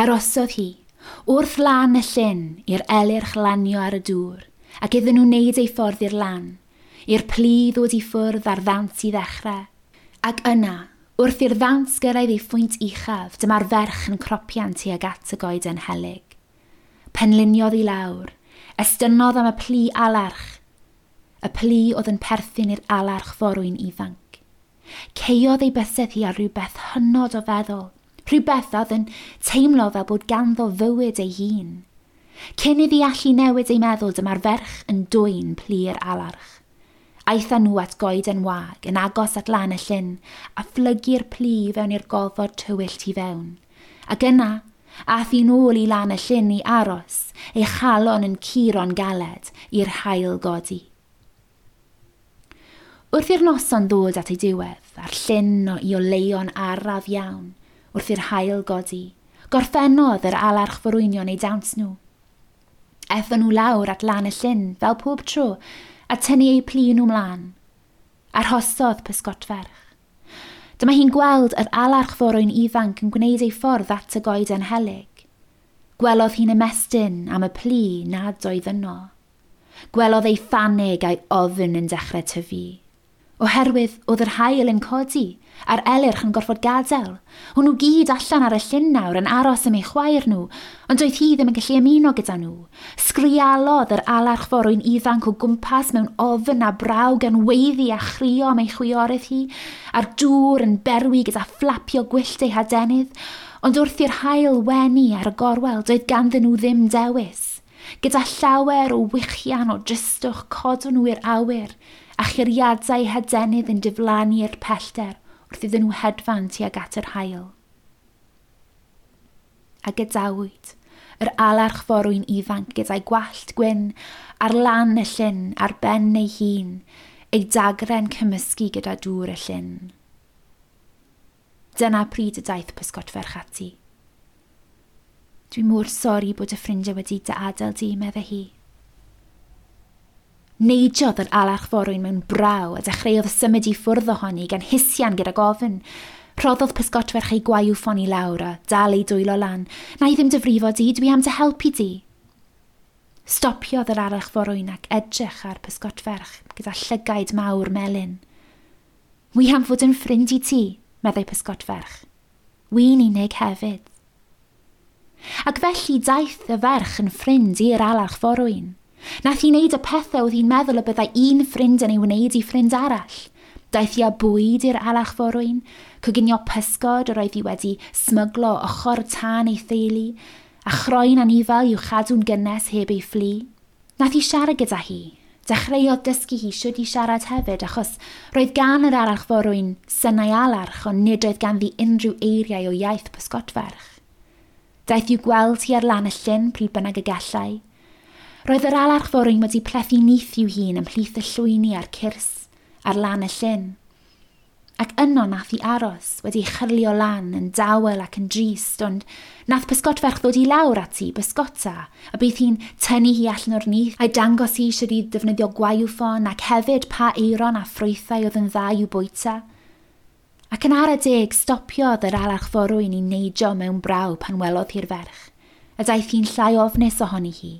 Arosodd hi, wrth lan y llyn, i'r elyrch lanio ar y dŵr, ac iddyn nhw wneud ei ffordd i'r lan, i'r plu ddod i ffwrdd a'r ddawns i ddechrau. Ac yna, wrth i'r ddawns gyrraedd ei phwynt uchaf, dyma'r ferch yn cropian tuag at y goeden helyg. Penliniodd i lawr, estynnodd am y plu alarch, y plu oedd yn perthyn i'r alarch forwyn ifanc. Caeodd ei bysedd hi ar rhywbeth hynod o feddwl, rhywbeth oedd yn teimlo fel bod ganddo fywyd ei hun. Cyn iddi allu newid ei meddwl, dyma'r ferch yn dwyn plu'r alarch. Aethon nhw at goeden wag, yn agos at lan y llyn, a phlygu'r plu fewn i'r gofod tywyll tu fewn. Ac yna, aeth hi nôl i lan y llyn i aros, ei chalon yn curo'n galed i'r haul godi. Wrth i'r noson ddod at ei diwedd, a'r llyn o i oleuo'n araf iawn, wrth i'r haul godi, gorffennodd yr alarch forwynion eu dawns nhw. Aethon nhw lawr at lan y llyn, fel pob tro, a tynnu eu plu nhw mlaen. Arhosodd pysgotferch. Dyma hi'n gweld yr alarch forwyn ifanc yn gwneud ei ffordd at y goeden helyg. Gwelodd hi'n ymestyn am y plu nad oedd yno. Gwelodd ei phanig a'i ofn yn dechrau tyfu. Oherwydd oedd yr haul yn codi, a'r elyrch yn gorfod gadael. O'n nhw gyd allan ar y llyn nawr yn aros am eu chwaer nhw, ond doedd hi ddim yn gallu ymuno gyda nhw. Sgrialodd yr alarch forwyn ifanc o gwmpas mewn ofn a braw gan weiddi a chrio am ei chwiorydd hi, a'r dŵr yn berwi gyda fflapio gwyllt ei hadenydd, ond wrth i'r haul wenu ar y gorwel doedd ganddyn nhw ddim dewis. Gyda llawer o wichian o dristwch codon nhw i'r awyr, a churiadau hadenydd yn diflannu i'r pellter wrth iddyn nhw hedfan tuag at yr haul. A gadawyd yr alarch forwyn ifanc gyda'i gwallt gwyn ar lan y llyn ar ben ei hun, ei dagre'n cymysgu gyda dŵr y llyn. Dyna pryd y daeth pysgotferch ati. Dwi mor sori bod y ffrindiau wedi dy adael di, meddai hi. Neidiodd yr alarch forwyn mewn braw a dechreuodd symud i ffwrdd ohoni gan hisian gydag ofn. Rhoddodd pysgotferch ei gwaywffon i lawr a dal ei dwylo lan. Na i ddim dy frifo di, dwi am dy helpu di. Stopiodd yr alarch forwyn ac edrych ar pysgotferch gyda llygaid mawr melyn. Wi am fod yn ffrind i ti, meddai pysgotferch. Wi'n unig hefyd. Ac felly daeth y ferch yn ffrind i'r alarch forwyn. Nath hi wneud y pethau oedd hi'n meddwl y byddai un ffrind yn ei wneud i ffrind arall. Daeth hi â bwyd i'r alarch forwyn, coginio pysgod yr oedd hi wedi smyglo ochr tân ei theulu, a chroen anifal i'w chadw'n gynnes heb ei fflu. Nath hi siarad gyda hi. Dechreuodd dysgu hi shwd i siarad hefyd, achos roedd gan yr alarch forwyn synau alarch, ond nid oedd ganddi unrhyw eiriau o iaith pysgotferch. Daeth i'w gweld hi ar lan y llyn pryd bynnag y gallai. Roedd yr alarch forwyn wedi plethu nyth i'w hun ymhlith y llwyni a'r cyrs ar lan y llyn. Ac yno nath hi aros, wedi chyrlio lan yn dawel ac yn drist, ond nath pysgotferch ddod i lawr ati, bysgota, a bydd hi'n tynnu hi allan o'r nyth, a'i dangos hi sut i ddefnyddio gwaywffon ac hefyd pa eiron a ffrwythau oedd yn dda i'w bwyta. Ac yn ara deg, stopiodd yr alarch forwyn i neidio mewn braw pan welodd hi'r ferch, a daeth hi'n llai ofnus ohoni hi.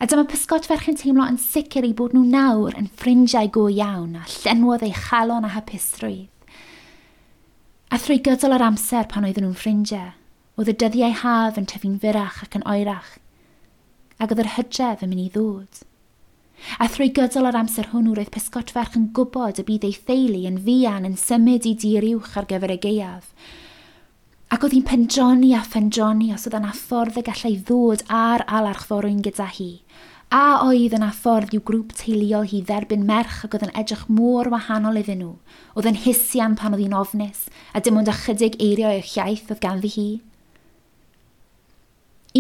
A dyma pysgotferch yn teimlo yn sicr eu bod nhw nawr yn ffrindiau go iawn a llenwodd ei chalon a hapusrwydd. A thrwy gydol yr amser pan oedden nhw'n ffrindiau, oedd y dyddiau haf yn tyfu'n fyrrach ac yn oerach, ac oedd yr hydref yn mynd i ddod. A thrwy gydol yr amser hwnnw roedd pysgotferch yn gwybod y bydd ei theulu yn fuan yn symud i dir uwch ar gyfer y gaeaf. Ac oedd hi'n pendroni a phendroni os oedd yna ffordd y gallai ddod â'r alarch forwyn gyda hi. A oedd yna ffordd i'w grŵp teuluol hi dderbyn merch ac oedd yn edrych mor wahanol iddyn nhw. Oedd yn hisian pan oedd hi'n ofnus, a dim ond ychydig eiriau o iaith oedd ganddi hi.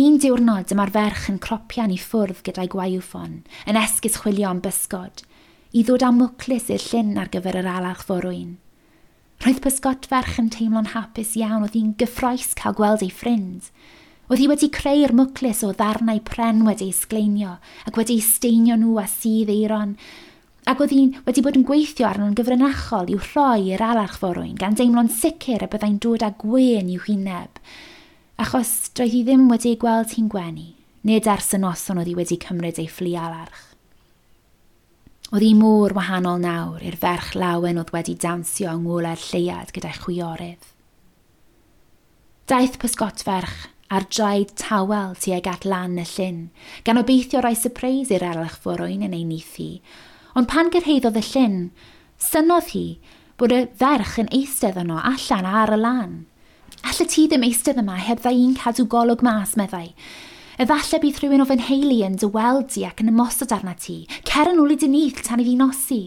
Un diwrnod dyma'r ferch yn cropian i ffwrdd gyda'i gwaywffon, yn esgus chwilio am bysgod, i ddod â mwclis i'r llyn ar gyfer yr alarch forwyn. Roedd pysgotferch yn teimlo'n hapus iawn, oedd hi'n gyffrous cael gweld ei ffrind. Oedd hi wedi creu'r mwclis o ddarnau pren wedi ei sgleinio ac wedi ei steinio nhw â sudd eiron, ac oedd hi wedi bod yn gweithio arno'n gyfrinachol i'w rhoi i'r alarch forwyn, gan deimlo'n sicr y byddai'n dod â gwên i'w hwyneb. Achos doedd hi ddim wedi ei gweld hi'n gwenu, nid ers y noson oedd hi wedi cymryd ei ffli alarch. Oedd hi mor wahanol nawr i'r ferch lawen oedd wedi dawnsio yng ngolau'r lleuad gyda'i chwiorydd. Daeth pysgotferch ar draed tawel tuag at lan y llyn, gan obeithio rhoi sypreis i'r elch forwyn yn ei nyth hi, ond pan gyrhaeddodd y llyn, synodd hi bod y ferch yn eistedd yno allan ar y lan. Alla ti ddim eistedd yma heb dda i'n cadw golwg mas, meddai. Efallai bydd rhywun o fy nheulu yn dy weld di ac yn ymosod arna ti. Cer yn ôl i dy nyth tan i fi nosi.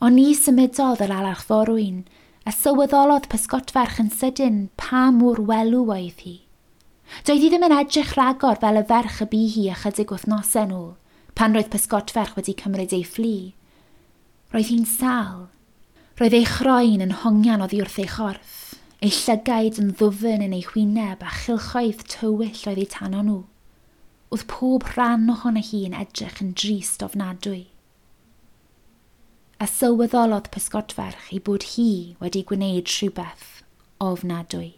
Ond ni symudodd yr alarch forwyn, a sylweddolodd pysgotferch yn sydyn pa mor welw oedd hi. Doedd hi ddim yn edrych rhagor fel y ferch y bu hi ychydig wythnosau nôl, pan roedd pysgotferch wedi cymryd ei fflu. Roedd hi'n sal. Roedd ei chroen yn hongian oddi wrth ei chorff ei llygaid yn ddwfn yn ei hwyneb a chylchoedd tywyll oedd eu tano nhw. Oedd pob rhan ohono hi yn edrych yn drist ofnadwy. A sylweddolodd pysgodferch ei bod hi wedi gwneud rhywbeth ofnadwy.